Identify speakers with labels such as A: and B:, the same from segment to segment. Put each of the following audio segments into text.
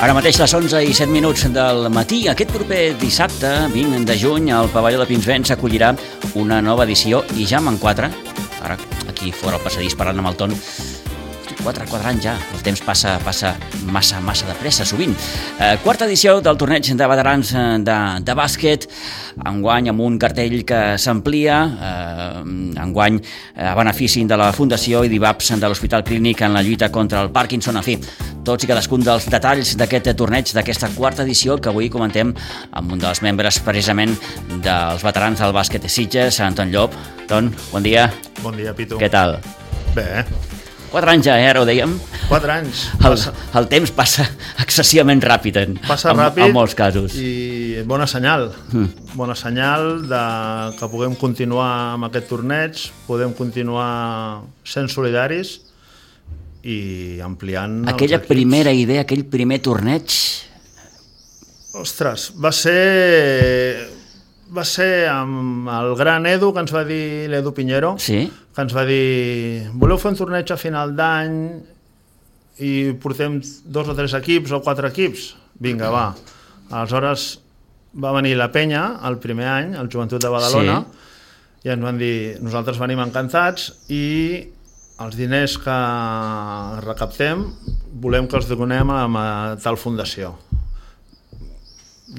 A: Ara mateix les 11:07 del matí. Aquest proper dissabte, 20 de juny, al pavelló de Pinsbens s'acollirà una nova edició i ja en 4. Ara, aquí fora al passadís parlant amb el Ton, 4 anys ja, el temps passa massa de pressa, sovint. Quarta edició del torneig de veterans de bàsquet, enguany amb un cartell que s'amplia, enguany a benefici de la Fundació i d'IVAPS de l'Hospital Clínic en la lluita contra el Parkinson. En fi, tots i cadascun dels detalls d'aquest torneig, d'aquesta quarta edició, que avui comentem amb un dels membres precisament dels veterans del bàsquet de Sitges, Anton Llop. Ton, bon dia.
B: Bon dia, Pitu.
A: Què tal?
B: Bé.
A: 4 anys ja, ara ho dèiem.
B: 4 anys.
A: El temps passa excessivament ràpid en molts casos.
B: I bona senyal. Bona senyal que puguem continuar amb aquest torneig, podem continuar sent solidaris i ampliant
A: aquella primera idea, aquell primer torneig.
B: Ostres, va ser amb el gran Edu, que ens va dir l'Edu Piñero,
A: sí,
B: que ens va dir: voleu fer un torneig a final d'any i portem 2 o 3 equips o 4 equips? Vinga, va. Aleshores va venir la penya el primer any, el Joventut de Badalona, sí, i ens van dir: nosaltres venim encantats i els diners que recaptem volem que els donem a tal fundació.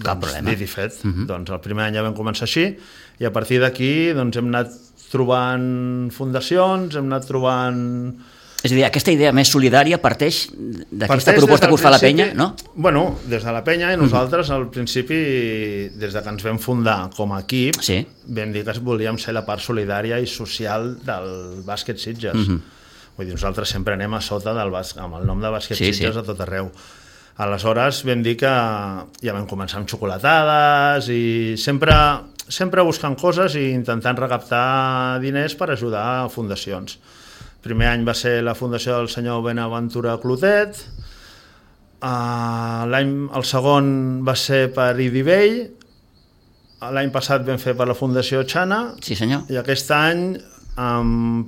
A: Cap problema.
B: Dit i fet. Doncs el primer any ja vam començar així i a partir d'aquí doncs, hem anat trobant fundacions, hem anat trobant...
A: És a dir, aquesta idea més solidària parteix d'aquesta proposta que us fa la penya, no?
B: Bueno, des de la penya i nosaltres al principi, des de que ens vam fundar com a equip,
A: sí, vam
B: dir que volíem ser la part solidària i social del bàsquet Sitges. Vull dir, nosaltres sempre anem a sota amb el nom de bàsquet Sitges a tot arreu. Aleshores vam dir que ja vam començar amb xocolatades i sempre buscant coses i intentant recaptar diners per ajudar a fundacions. El primer any va ser la fundació del senyor Benaventura Clotet, el segon va ser per Idivell, l'any passat vam fer per la Fundació Xana,
A: sí, senyor,
B: i aquest any,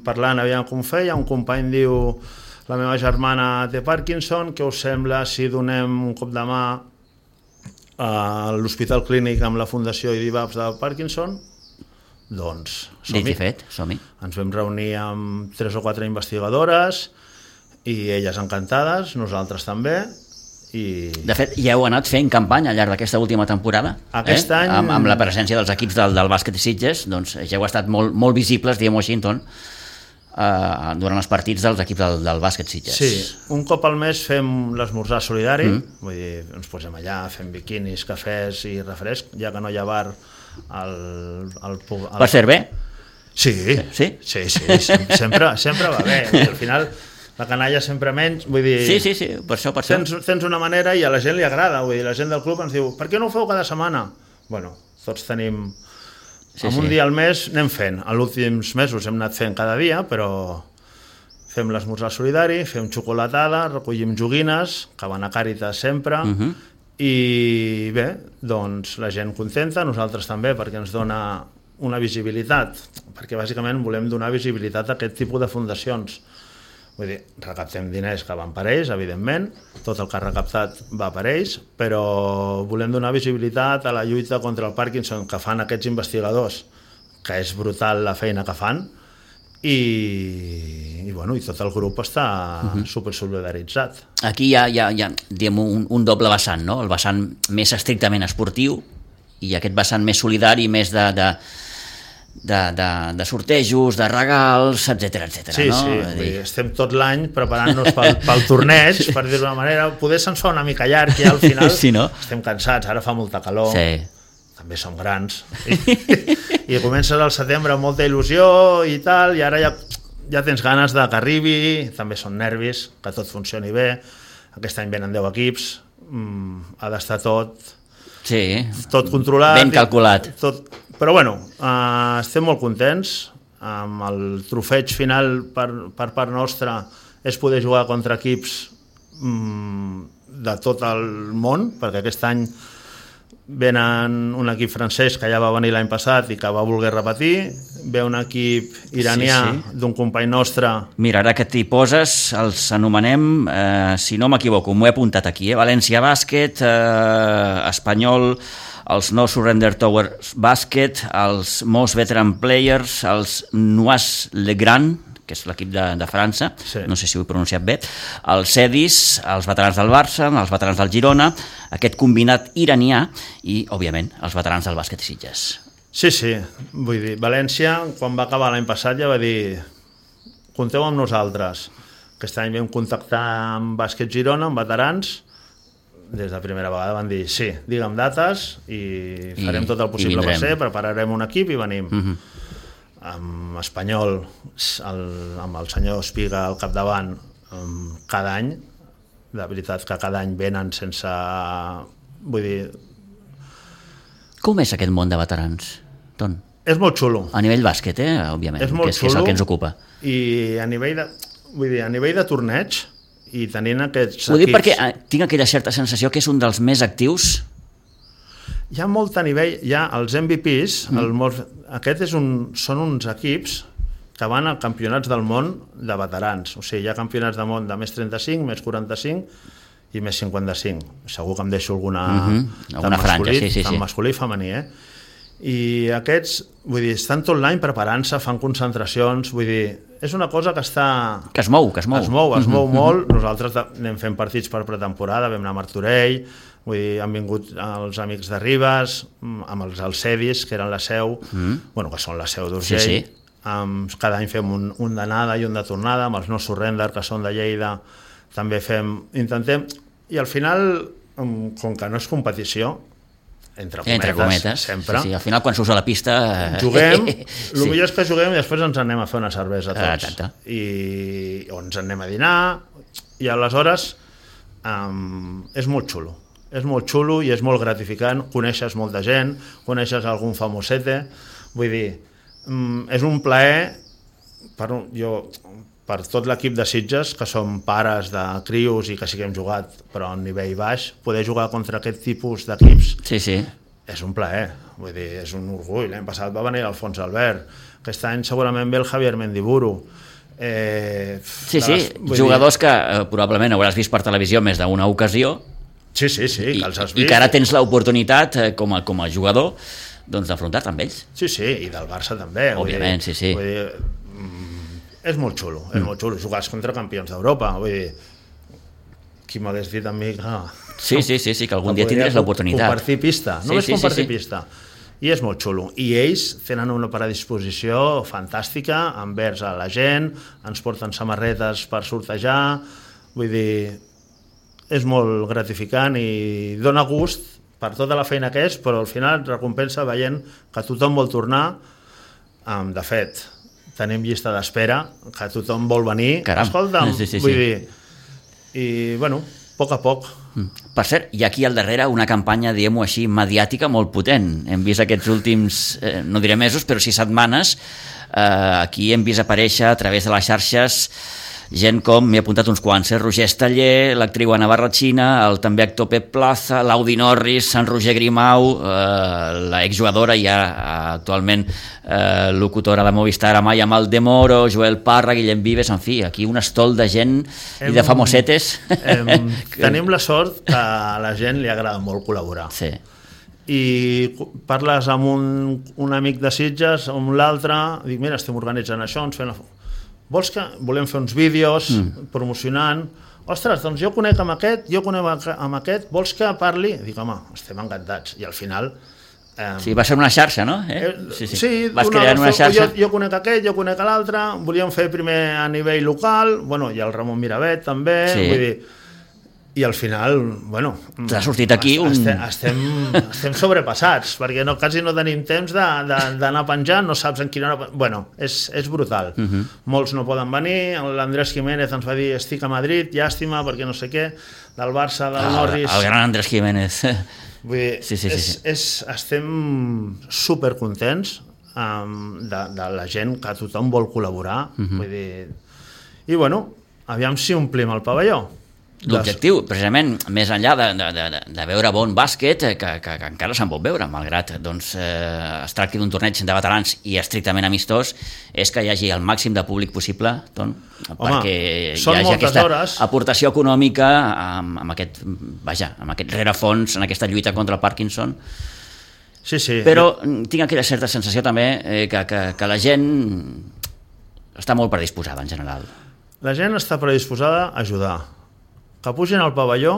B: parlant aviam com feia, un company diu: la meva germana té Parkinson, què us sembla si donem un cop de mà a l'Hospital Clínic amb la Fundació i d'IVAPS de Parkinson? Doncs som-hi.
A: Dit i fet, som-hi.
B: Ens vam reunir amb 3 o 4 investigadores i elles encantades, nosaltres també.
A: De fet, ja heu anat fent campanya al llarg d'aquesta última temporada.
B: Aquest any...
A: Amb la presència dels equips del bàsquet de Sitges, doncs ja heu estat molt visibles, diguem-ho així, durant els partits dels equips del bàsquet Sitges.
B: Sí, un cop al mes fem l'esmorzar solidari, vull dir, ens posem allà, fem biquinis, cafès i refresc, ja que no hi ha bar
A: Per ser bé?
B: Sí, sempre va bé. Al final la canalla sempre menys, vull dir...
A: Sí, per això.
B: Tens una manera i a la gent li agrada, vull dir, la gent del club ens diu: per què no ho feu cada setmana? Bueno, tots tenim... un dia al mes anem fent. En els últims mesos hem anat fent cada dia, però fem l'esmorzar solidari, fem xocolatada, recollim joguines, que van a Càritas sempre, i bé, doncs la gent contenta, nosaltres també, perquè ens dona una visibilitat, perquè bàsicament volem donar visibilitat a aquest tipus de fundacions. Vull dir, recaptem diners que van per ells, evidentment, tot el que ha recaptat va per ells, però volem donar visibilitat a la lluita contra el Parkinson que fan aquests investigadors, que és brutal la feina que fan, i tot el grup està supersolidaritzat.
A: Aquí hi ha diguem, un doble vessant, no? El vessant més estrictament esportiu i aquest vessant més solidari, més de sortejos, de regals, etcètera.
B: Sí,
A: no?
B: Sí, estem tot l'any preparant-nos pel torneig, per dir-ho d'una manera. Poder se'ns fa una mica llarg i al final
A: sí, no?
B: Estem cansats, ara fa molta calor, també som grans, i comences al setembre amb molta il·lusió i tal, i ara ja tens ganes que arribi, també són nervis, que tot funcioni bé. Aquest any venen 10 equips, ha d'estar tot controlat,
A: ben calculat.
B: Però estem molt contents. El trofeig final per part nostra és poder jugar contra equips de tot el món, perquè aquest any venen un equip francès que ja va venir l'any passat i que va voler repetir, ve un equip iranià d'un company nostre.
A: Mira, ara que t'hi poses, els anomenem, si no m'equivoco, m'ho he apuntat aquí, València Bàsquet, Espanyol, els No Surrender Towers Bàsquet, els Most Veteran Players, els Nois Le Grand, que és l'equip de França, no sé si ho he pronunciat bé, els Cedis, els veterans del Barça, els veterans del Girona, aquest combinat iranià i, òbviament, els veterans del bàsquet Sitges.
B: Sí, vull dir, València, quan va acabar l'any passat, ja va dir compteu amb nosaltres. Aquest any vam contactar amb Bàsquet Girona, amb veterans, des de primera vegada van dir sí, digue'm dates i farem tot el possible per ser, prepararem un equip i venim. Amb Espanyol, amb el senyor Espiga al capdavant, cada any, de veritat que cada any venen sense... Vull dir...
A: Com és aquest món de veterans, Ton?
B: És molt xulo.
A: A nivell bàsquet, òbviament, que és el que ens ocupa.
B: I a nivell de torneig, i tenint aquests equips...
A: Ho dic perquè tinc aquella certa sensació que és un dels més actius.
B: Hi ha molt a nivell, hi ha els MVPs, són uns equips que van a campionats del món de veterans, o sigui, hi ha campionats del món de més 35, més 45 i més 55. Segur que em deixo alguna
A: franja,
B: tant masculí i femení, I aquests, vull dir, estan tot l'any preparant-se, fan concentracions, vull dir, és una cosa que està...
A: Que es mou.
B: Es mou molt. Nosaltres anem fent partits per pretemporada, vam anar a Martorell, vull dir, han vingut els amics de Ribes, amb els Alcedis, que eren la seu, que són la seu d'Urgell. Cada any fem un d'anada i un de tornada, amb els No Surrender, que són de Lleida, també intentem... I al final, com que no és competició, entre cometes, sempre.
A: Sí, al final quan surts a la pista...
B: Juguem, el millor és que juguem i després ens anem a fer una cervesa tots. O ens anem a dinar, i aleshores és molt xulo. És molt xulo i és molt gratificant, coneixes molta gent, coneixes algun famosete, vull dir, és un plaer per tot l'equip de Sitges, que som pares de crios i que sí que hem jugat, però a nivell baix, poder jugar contra aquest tipus d'equips és un plaer, vull dir, és un orgull. L'any passat va venir Alfons Albert, aquest any segurament ve el Javier Mendiburu.
A: Jugadors que probablement hauràs vist per televisió més d'una ocasió,
B: que els has vist.
A: I que ara tens l'oportunitat, com a jugador, d'afrontar-te amb ells.
B: Sí, i del Barça també.
A: Òbviament,
B: vull dir, és molt xulo, jugar contra campions d'Europa, vull dir, qui m'hagués dit a mi que...
A: que algun dia tindràs l'oportunitat.
B: Compartir pista, només compartir pista. I és molt xulo. I ells tenen una predisposició fantàstica envers a la gent, ens porten samarretes per sortejar, vull dir, és molt gratificant i dona gust per tota la feina que és, però al final recompensa veient que tothom vol tornar. De fet, tenim llista d'espera, que tothom vol venir. Escolta'm, vull dir, i, a poc a poc.
A: Per cert, hi ha aquí al darrere una campanya, diguem-ho així, mediàtica molt potent. Hem vist aquests últims, no diré mesos, però sí setmanes, aquí hem vist aparèixer a través de les xarxes gent com, m'he apuntat uns quants, Roger Esteller, l'actriu Ana Barratxina, el també actor Pep Plaza, l'Audi Norris, Sant Roger Grimau, la exjugadora i ja actualment locutora de Movistar, Amaya Maldemoro, Joel Parra, Guillem Vives, en fi, aquí un estol de gent i de famosetes.
B: Tenim la sort que a la gent li agrada molt col·laborar.
A: Sí.
B: I parles amb un amic de Sitges, amb l'altre, dic, mira, estem organitzant això, ens fem la... Vols que volem fer uns vídeos promocionant? Ostres, doncs jo conec amb aquest, vols que parli? Dic, home, estem encantats. I al final...
A: Sí, va ser una xarxa, no?
B: Sí,
A: vas creant una xarxa.
B: Jo conec aquest, jo conec l'altre, volíem fer primer a nivell local, i el Ramon Miravet també, vull dir... I al final,
A: t'ha sortit aquí
B: estem sobrepassats, perquè quasi no tenim temps d'anar penjant, no saps en quina hora... És brutal. Molts no poden venir, l'Andrés Jiménez ens va dir estic a Madrid, llàstima, perquè no sé què, del Barça, del Norris...
A: El gran Andrés Jiménez.
B: Vull dir, estem supercontents de la gent, que tothom vol col·laborar, vull dir... I aviam si omplim el pavelló.
A: l'objectiu, precisament, més enllà de veure bon bàsquet, que encara se'n pot veure, malgrat es tracti d'un torneig de veterans i estrictament amistós, és que hi hagi el màxim de públic possible, perquè hi hagi aquesta aportació econòmica amb aquest rerefons, en aquesta lluita contra el Parkinson.
B: Sí.
A: Però tinc aquella certa sensació també que la gent està molt predisposada en general.
B: La gent està predisposada a ajudar. Que pugin al pavelló...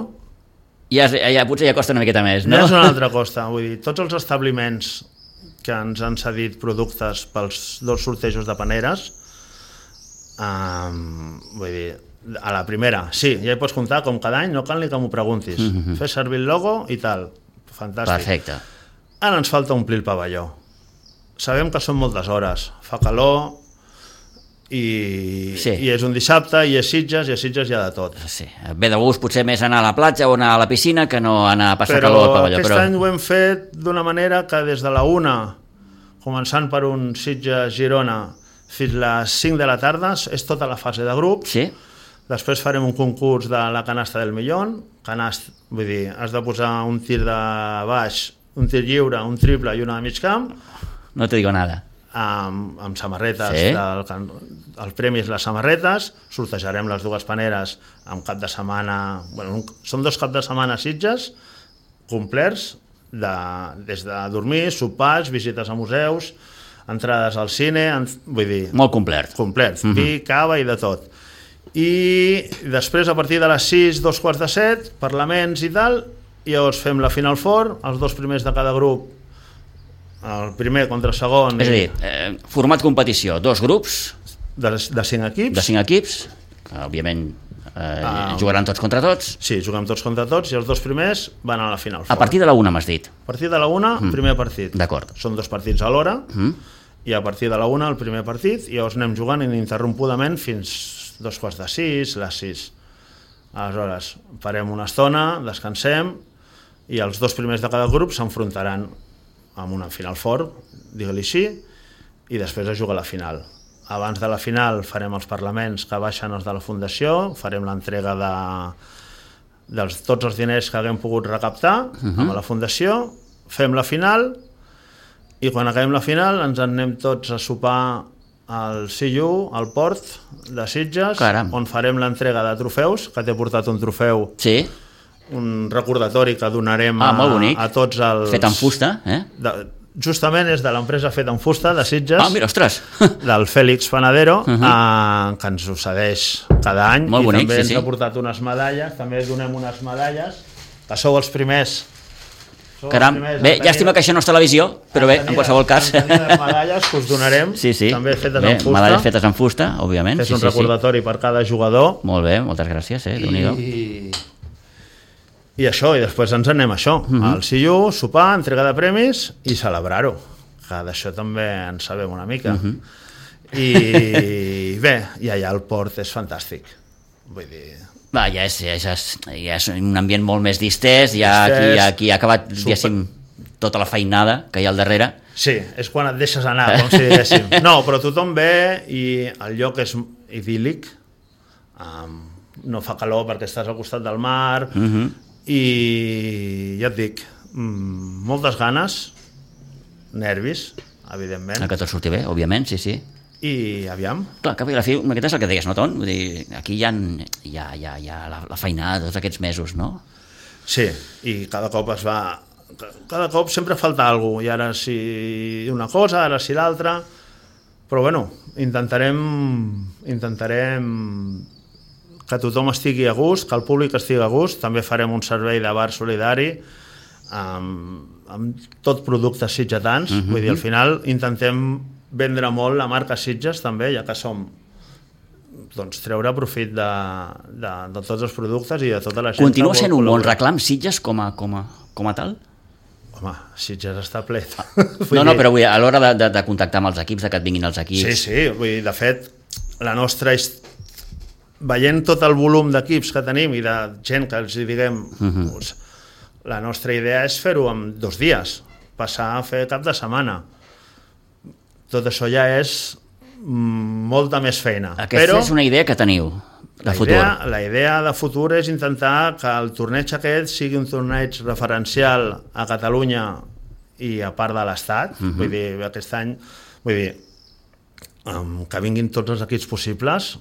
A: Ja potser ja costa una miqueta més, no?
B: Ja és una altra costa. Vull dir, tots els establiments que ens han cedit productes pels 2 sortejos de paneres, vull dir, a la primera, sí, ja hi pots comptar com cada any, no cal ni que m'ho preguntis. Fes servir el logo i tal. Fantàstic.
A: Perfecte.
B: Ara ens falta omplir el pavelló. Sabem que són moltes hores, fa calor... I és un dissabte, i és Sitges, i a Sitges hi ha de tot.
A: Sí. Ve de gust potser més anar a la platja o anar a la piscina que no anar a passar calor al pavelló.
B: Però aquest any ho hem fet d'una manera que des de la 1, començant per un Sitges-Girona, fins les 5 de la tarda, és tota la fase de grups.
A: Sí.
B: Després farem un concurs de la canasta del millón. Vull dir, has de posar un tir de baix, un tir lliure, un triple i una de mig camp.
A: No te digo nada.
B: Amb samarretes, el premi és les samarretes, sortejarem les 2 paneres amb cap de setmana, són 2 caps de setmana a Sitges complerts, des de dormir, sopars, visites a museus, entrades al cine, vull dir...
A: Molt complet.
B: Vi, cava i de tot. I després, a partir de les 6, 6:45, parlaments i tal, i llavors fem la Final Four, els 2 primers de cada grup, el primer contra el segon...
A: És a dir, format competició, 2 grups...
B: De 5 equips.
A: De 5 equips, que òbviament jugaran tots contra tots.
B: Sí, juguem tots contra tots i els 2 primers van a la Final Four.
A: A partir de la 1 m'has dit.
B: A partir de la 1, primer partit.
A: D'acord.
B: Són 2 partits a l'hora i a partir de la 1 el primer partit i llavors anem jugant ininterrompudament fins 5:45, les 6. Aleshores, farem una estona, descansem i els 2 primers de cada grup s'enfrontaran amb una Final Four, digue-li així, i després es juga la final. Abans de la final farem els parlaments que baixen els de la Fundació, farem l'entrega de tots els diners que haguem pogut recaptar amb la Fundació, fem la final i quan acabem la final ens anem tots a sopar al CIU, al port de Sitges, on farem l'entrega de trofeus, que t'he portat un trofeu, un recordatori que donarem a tots els...
A: Fet en fusta,
B: justament és de l'empresa Fet en Fusta de Sitges,
A: mira, ostres,
B: del Fèlix Panadero, que ens ho cedeix cada any.
A: Molt bonic,
B: també ens ha portat unes medalles, també donem unes medalles, que sou els primers.
A: Caram, bé, llàstima que això no és televisió, però bé, en qualsevol cas.
B: Les medalles que us donarem, també fetes en fusta.
A: Medalles fetes en fusta, òbviament.
B: És un recordatori per cada jugador.
A: Molt bé, moltes gràcies, Déu-n'hi-do.
B: I això, i després ens anem a això, al CIU, sopar, entrega de premis i celebrar-ho, que d'això també en sabem una mica. I bé, i allà el port és fantàstic, vull dir...
A: Ja és un ambient molt més distès, aquí ha acabat, diguéssim, tota la feinada que hi ha al darrere.
B: Sí, és quan et deixes anar, com si diguéssim. No, però tothom ve i el lloc és idíl·lic, no fa calor perquè estàs al costat del mar, i ja et dic, moltes ganes, nervis, evidentment.
A: Que tot surti bé, òbviament, sí.
B: I aviam.
A: Clar, que la fi, aquest és el que deies, no, Ton? Vull dir, aquí hi ha la feinada tots aquests mesos, no?
B: Sí, i cada cop cada cop sempre falta alguna cosa, i ara sí una cosa, ara sí l'altra, però bueno, intentarem que tothom estigui a gust, que el públic estigui a gust. També farem un servei de bar solidari amb tot productes sitgetans. Vull dir, al final intentem vendre molt la marca Sitges també, ja que som, doncs, treure profit de tots els productes i de tota la gent.
A: Continua sent un bon reclam Sitges com a tal?
B: Home, Sitges està ple.
A: No, però a l'hora de contactar amb els equips, que et vinguin els equips...
B: Sí, vull dir, de fet, la nostra veient tot el volum d'equips que tenim i de gent que els diguem, la nostra idea és fer-ho en 2 dies, passar a fer cap de setmana. Tot això ja és molta més feina.
A: Aquesta és una idea que teniu de futur.
B: La idea de futur és intentar que el torneig aquest sigui un torneig referencial a Catalunya i a part de l'Estat. Vull dir, aquest any que vinguin tots els equips possibles,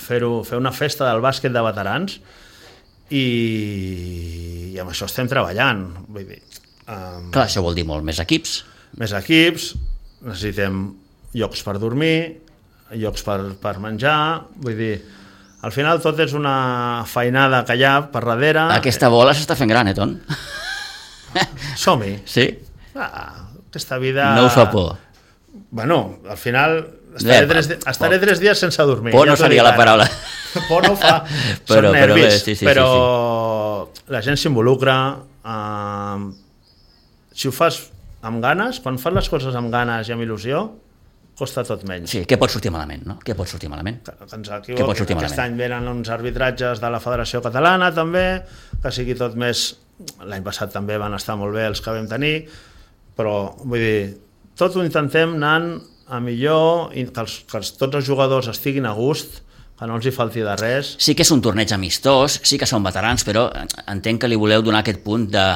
B: fer una festa del bàsquet de veterans i amb això estem treballant. Vull dir,
A: clar, això vol dir molt més equips.
B: Més equips, necessitem llocs per dormir, llocs per menjar, vull dir, al final tot és una feinada que hi ha per darrere.
A: Aquesta bola s'està fent gran, Ton?
B: Som-hi.
A: Sí?
B: Aquesta vida...
A: No us fa por?
B: Bueno, al final estaré 3 dies sense dormir.
A: Por no seria la paraula.
B: Por no fa, són nervis, però la gent s'involucra. Si ho fas amb ganes, quan fas les coses amb ganes i amb il·lusió, costa tot menys.
A: Sí, què pot sortir malament, no? Què pot sortir malament? Aquest
B: any venen uns arbitratges de la Federació Catalana, també, que sigui tot més... L'any passat també van estar molt bé els que vam tenir, però, vull dir, tot ho intentem anant a millor, que tots els jugadors estiguin a gust, que no els hi falti de res.
A: Sí que és un torneig amistós, sí que són veterans, però entenc que li voleu donar aquest punt de,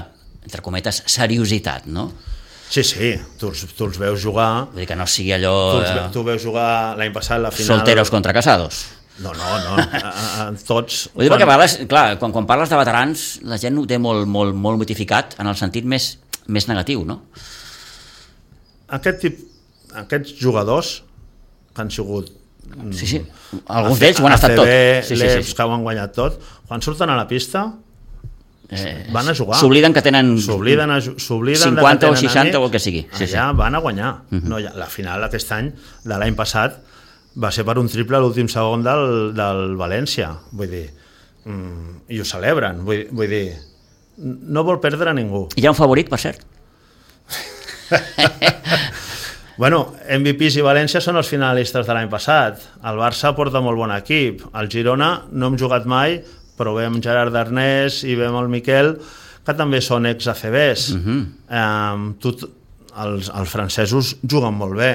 A: entre cometes, seriositat, no?
B: Sí, tu els veus jugar...
A: Vull dir que no sigui allò...
B: Tu veus jugar l'any passat la final...
A: Solteros contra casados.
B: No, tots...
A: Vull dir perquè parles, clar, quan parles de veterans, la gent ho té molt mitificat en el sentit més negatiu, no?
B: Aquests jugadors que han sigut...
A: Sí, alguns d'ells ho han estat tot.
B: L'EPS que ho han guanyat tot, quan surten a la pista... van a jugar.
A: S'obliden que tenen
B: 50
A: o 60 o el que sigui.
B: Allà van a guanyar. La final aquest any, de l'any passat, va ser per un triple a l'últim segon del València. Vull dir, i ho celebren. Vull dir, no vol perdre ningú.
A: Hi ha un favorit, per cert?
B: Bueno, MVPs i València són els finalistes de l'any passat. El Barça porta molt bon equip. El Girona no hem jugat mai, però veiem Gerard Darnés i veiem el Miquel, que també són ex-ACBs. Els francesos juguen molt bé,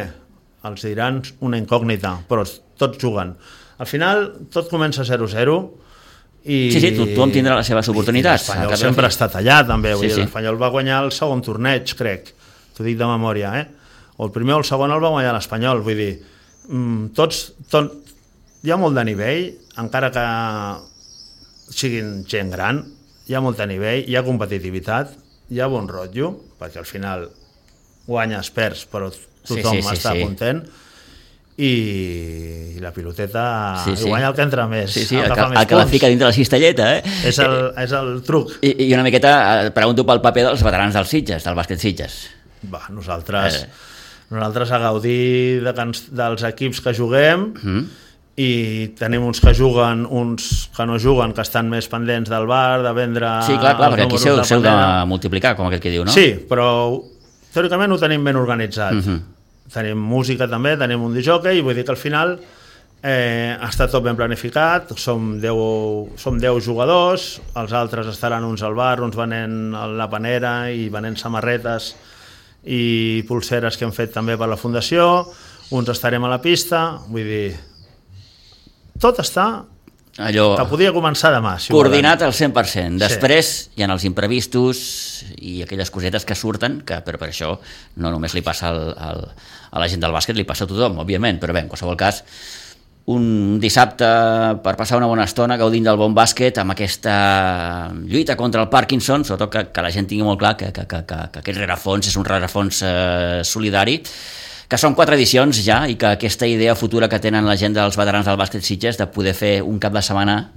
B: els diran una incògnita, però tots juguen. Al final, tot comença 0-0 i...
A: Sí, tothom tindrà les seves oportunitats.
B: L'Espanyol sempre ha estat allà, també. L'Espanyol va guanyar el segon torneig, crec. T'ho dic de memòria, O el primer o el segon el va guanyar l'Espanyol. Vull dir, hi ha molt de nivell, encara que siguin gent gran, hi ha molt de nivell, hi ha competitivitat, hi ha bon rotllo, perquè al final guanyes, perds, però tothom està content, i la piloteta guanya el que entra més,
A: el que la fica dintre la cistelleta,
B: és el truc.
A: I una miqueta pregunto pel paper dels veterans dels Sitges, del bàsquet Sitges.
B: Nosaltres a gaudir dels equips que juguem, i tenim uns que juguen, uns que no juguen, que estan més pendents del bar, de vendre...
A: Sí, clar, perquè aquí s'heu de multiplicar, com aquell que diu, no?
B: Sí, però teòricament ho tenim ben organitzat. Tenim música també, tenim un disjockey, i vull dir que al final està tot ben planificat, som 10 jugadors, els altres estaran uns al bar, uns venent a la panera i venent samarretes i pulseres que hem fet també per la Fundació, uns estarem a la pista, vull dir... Tot està que podia començar demà.
A: Coordinat al 100%. Després hi ha els imprevistos i aquelles cosetes que surten, però per això no només li passa a la gent del bàsquet, li passa a tothom, òbviament, però bé, en qualsevol cas, un dissabte per passar una bona estona gaudint del bon bàsquet amb aquesta lluita contra el Parkinson, sobretot que la gent tingui molt clar que aquest rerefons és un rerefons solidari, que són 4 edicions ja i que aquesta idea futura que tenen la gent dels veterans del bàsquet Sitges de poder fer un cap de setmana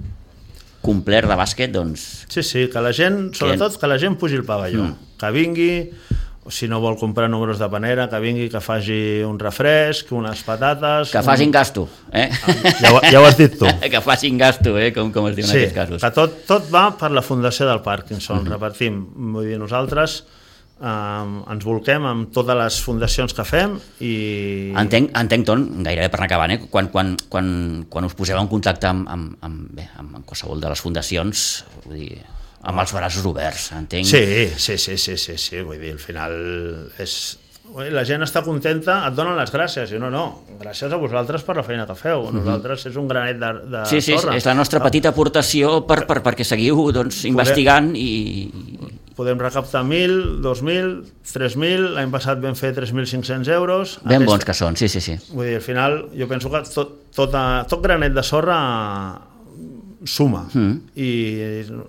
A: complet de bàsquet, doncs...
B: Sí, que la gent, sobretot que la gent pugi el pavelló, que vingui, si no vol comprar números de panera, que vingui, que faci un refresc, unes patates...
A: Que facin gasto,
B: Ja ho has dit tu.
A: Que facin gasto, com es diu en aquests casos.
B: Sí, que tot va per la Fundació del Parkinson, repartim. Vull dir, nosaltres... ens volquem amb totes les fundacions que fem i...
A: Entenc, Ton, gairebé per anar acabant, quan us poseu en contacte amb qualsevol de les fundacions, vull dir, amb els braços oberts, entenc?
B: Sí, vull dir, al final és la gent està contenta, et donen les gràcies. I no, gràcies a vosaltres per la feina que feu. Nosaltres és un granet de
A: sí,
B: sorra.
A: És la nostra petita aportació perquè seguiu investigant i...
B: Podem recaptar 1.000, 2.000, 3.000, l'any passat vam fer 3.500 euros.
A: Ben bons que són, sí.
B: Vull dir, al final, jo penso que tot granet de sorra suma. I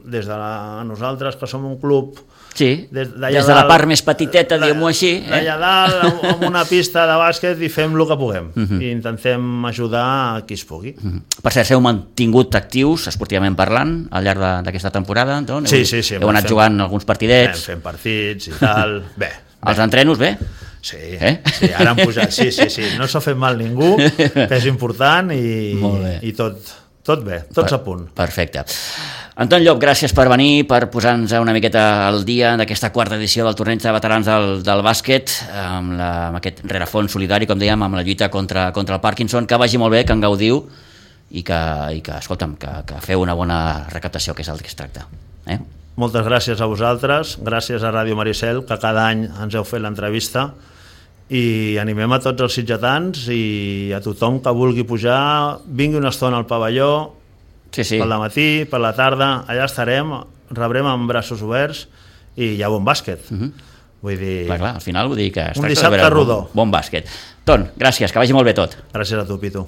B: des de nosaltres, que som un club...
A: Sí, des de la part més petiteta, diguem-ho així.
B: D'allà dalt, amb una pista de bàsquet, i fem el que puguem. I intentem ajudar a qui es pugui.
A: Per cert, s'heu mantingut actius, esportivament parlant, al llarg d'aquesta temporada?
B: Sí.
A: Heu anat jugant alguns partidets?
B: Fem partits i tal. Bé.
A: Els entrenos, bé?
B: Sí, ara han pujat. Sí. No s'ha fet mal ningú, que és important, i tot bé, tots a punt.
A: Perfecte. Anton Llop, gràcies per venir, per posar-nos una miqueta al dia d'aquesta quarta edició del torneig de veterans del bàsquet, amb aquest rerefons solidari, com dèiem, amb la lluita contra el Parkinson. Que vagi molt bé, que en gaudiu i que escolta'm, que feu una bona recaptació, que és el que es tracta.
B: Moltes gràcies a vosaltres, gràcies a Ràdio Maricel, que cada any ens heu fet l'entrevista, i animem a tots els sitgetans i a tothom que vulgui pujar, vingui una estona al pavelló, pel matí, per la tarda, allà estarem, rebrem amb braços oberts i hi ha bon bàsquet. Vull dir...
A: Clar, al final vull dir que es
B: tracta de veure
A: bon bàsquet. Ton, gràcies, que vagi molt bé tot.
B: Gràcies a tu, Pitu.